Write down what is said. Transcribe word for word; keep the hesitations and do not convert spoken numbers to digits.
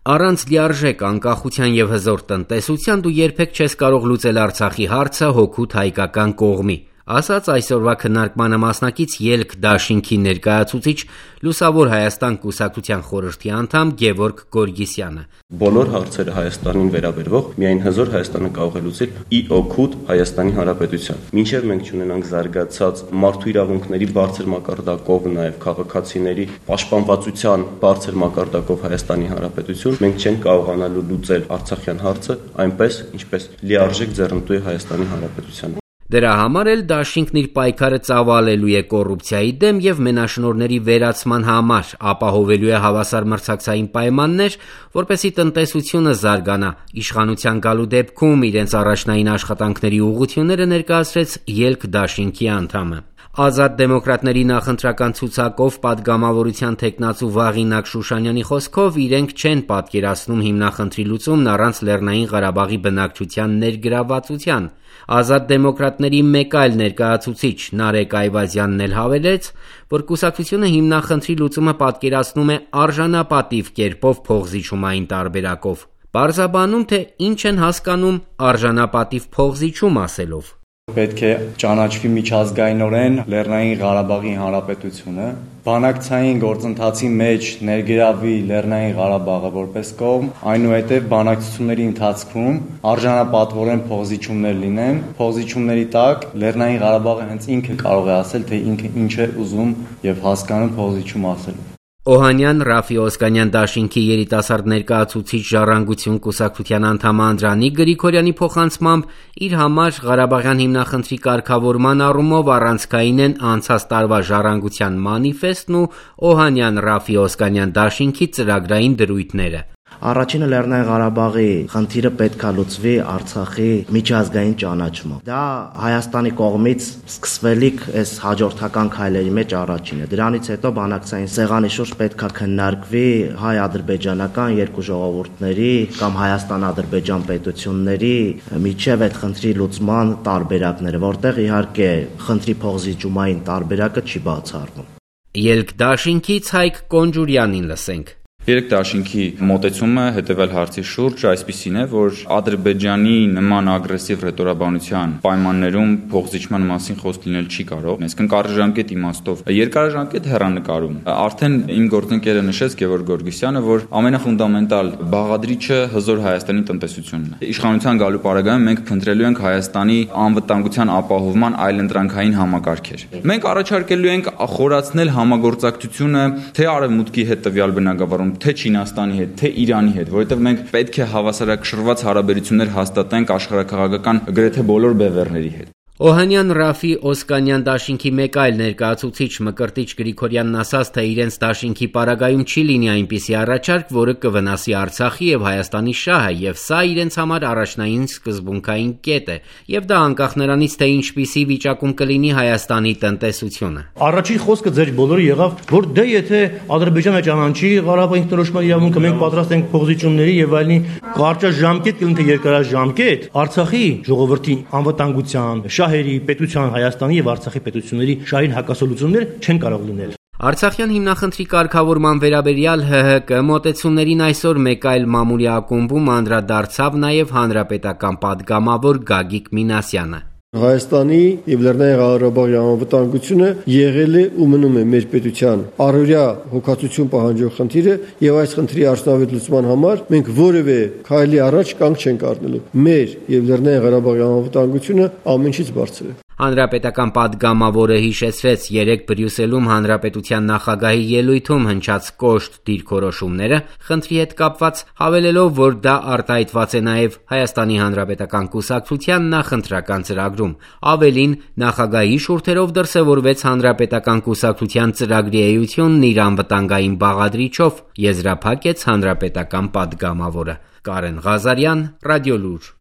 Առանց լիարժեք անկախության եւ հզոր տնտեսության դու երբեք չես կարող լուծել Արցախի հարցը հօգուտ հայկական կողմի, ասաց այսօրվա քննարկմանը մասնակից ելք դաշինքի ներկայացուցիչ Լուսավոր Հայաստան կուսակցության խորհրդի անդամ Գևորգ Գորգիսյանը։ Բոլոր հարցերը Հայաստանին վերաբերող միայն հզոր Հայաստանը կարող է լուծել ի օգուտ Հայաստանի Հանրապետության։ Մինչև մենք չունենանք զարգացած մարդու իրավունքների բարձր մակարդակով, նաև քաղաքացիների պաշտպանվածության բարձր մակարդակով Հայաստանի Հանրապետություն, մենք չենք կարողանալու լուծել Արցախյան հարցը այնպես, ինչպես լիարժեք ձեռնտու է Հայաստանի Հանրապետությանը։ Դրա համար էլ դաշինքն իր պայքարը ծավալելու է կոռուպցիայի դեմ եւ մենաշնորհների վերացման համար, ապահովելու է հավասար մրցակցային պայմաններ, որպեսզի տնտեսությունը զարգանա։ Իշխանության գալու դեպքում իրենց առաջնային աշխատանքների ուղղությունները ներկայացրեց ելք դաշինքի անդամը։ Ազատ դեմոկրատների նախընտրական ցուցակով պատգամավորության թեկնածու Վաղինակ Շուշանյանի խոսքով իրենք չեն պատկերացնում հիմնախնդրի լուծումն առանց Լեռնային Ղարաբաղի բնակչության ներգրավվածության։ Ազատ դեմոկրատների մեկ այլ ներկայացուցիչ Նարեկ Այվազյանն էլ հավելեց, որ կուսակցությունը հիմնախնդրի լուծումը պատկերացնում է արժանապատիվ կերպով փոխզիջումային տարբերակով։ Պարզաբանում, թե ինչ են հասկանում արժանապատիվ փոխզիջում ասելով։ Պետք է ճանաչվի միջազգայինորեն Լեռնային Ղարաբաղի Հանրապետությունը, բանակցային գործընթացի մեջ ներգրավի Լեռնային Ղարաբաղը որպես կողմ, այնուհետև բանակցությունների ընթացքում արժանապատվորեն փոխզիջումներ լինեն, փոխզիջումների տակ Լեռնային Ղարաբաղը հենց ինքը կարող է ասել, թե ինքը ինչ է ուզում եւ հասկանում փոխզիջում ասելով։ Օհանյան Ռաֆի Օսկանյան դաշինքի երիտասարդ ներկայացուցիչ Ժառանգություն կուսակցության անդամ Անդրանիկ Գրիգորյանի փոխանցմամբ իր համար Ղարաբաղյան հիմնախնդրի կարգավորման առումով առանցքային են անցած տարվա Ժառանգության մանիֆեստն ու Օհանյան Ռաֆի Օսկանյան դաշինքի ծրագրային դրույթները։ Առաջինը Լեռնային Ղարաբաղի խնդիրը պետք է լուծվի Արցախի միջազգային ճանաչմամբ։ Դա Հայաստանի կողմից սկսվելիք այս հաջորդական քայլերի մեջ առաջինը։ Դրանից հետո բանակցային սեղանի շուրջ պետք է քննարկվի հայ-ադրբեջանական երկու ժողովուրդների կամ Հայաստան-Ադրբեջան պետությունների միջև այդ խնդրի լուծման տարբերակները, որտեղ իհարկե խնդրի փոխզիջումային տարբերակը չի բացառվում։ Ելք դաշինքից Հայկ Կոնջուրյանին լսենք։ Երեք դաշինքի մոտեցումը հետևել հարցի շուրջ այսպիսին է, որ Ադրբեջանի նման ագրեսիվ ռետորաբանության պայմաններում փոխզիջման մասին խոսք լինել չի կարող, այսինքն կարճաժամկետ իմաստով։ Երկարաժամկետ հեռանկարում արդեն իմ գործընկերը նշեց Գևորգ Գորգիսյանը, որ ամենաֆունդամենտալ բաղադրիչը հզոր Հայաստանի տնտեսությունն է։ Իշխանության գալու պարագայում մենք փնտրելու ենք Հայաստանի անվտանգության ապահովման այլընտրանքային համակարգեր։ Մենք առաջարկելու ենք խորացնել համագործակցությունը թե Արևմուտքի հետ տվյալ բնագավառում, թե Չինաստանի հետ, թե Իրանի հետ, որովհետև մենք պետք է հավասարակշռված հարաբերություններ հաստատենք աշխարհաքաղաքական գրեթե բոլոր բևեռների հետ։ Օհանյան Ռաֆի Օսկանյան դաշինքի մեկ այլ ներկայացուցիչ Մկրտիչ Գրիգորյանն ասաց, թե իրենց դաշինքի պարագայում չի լինի այնպիսի առաջարկ, որը կվնասի Արցախի եւ Հայաստանի շահը, եւ սա իրենց համար առաջնային սկզբունքային կետ է, եւ դա անկախ նրանից, թե ինչպիսի վիճակում կլինի Հայաստանի տնտեսությունը։ Առաջին խոսքը ձեր բոլորը եղավ, որ դե եթե Ադրբեջանը ճանաչի Ղարաբաղի ինքնորոշման իրավունքը, մենք պատրաստ ենք փոխզիջումների եւ այլնի, կարճաժամկետ կլինի թե երկարաժամկետ Արցախի ժողովրդի անվտանգության, շահերի, պետության Հայաստանի եւ Արցախի պետությունների շահին հակասոլություններ չեն կարող լինել։ Արցախյան հիմնախնդրի կարգավորման վերաբերյալ Հ Հ Կ մոտեցումներին այսօր մեկ այլ մամուլի ակումբում անդրադարձավ նաև հանրապետական պատգամավոր Գագիկ Մինասյանը։ Հայաստանի եւ Լեռնային Ղարաբաղի անվտանգությունը եղել է ու մնում է մեր պետության առօրյա հոգացություն պահանջող խնդիրը եւ այս խնդրի արդյունավետ լուծման համար մենք որևէ քայլի առաջ կանգ չենք առնելու։ Մեր եւ Լեռնային Ղարաբաղի անվտանգությունը ամենից բարձր է։ Հանրապետական պատգամավորը հիշեցրեց երեք Բրյուսելում հանրապետության նախագահի ելույթում հնչած կոշտ դիրքորոշումները, խնդրի հետ կապված, հավելելով, որ դա արտահայտված է նաև Հայաստանի Հանրապետական կուսակցության նախընտրական ծրագրում։ Ավելին, նախագահի շուրթերով դրսևորվեց հանրապետական կուսակցության ծրագրի էությունն իր անվտանգային բաղադրիչով, եզրափակեց հանրապետական պատգամավորը։ Կարեն Ղազարյան, Ռադիոլուր։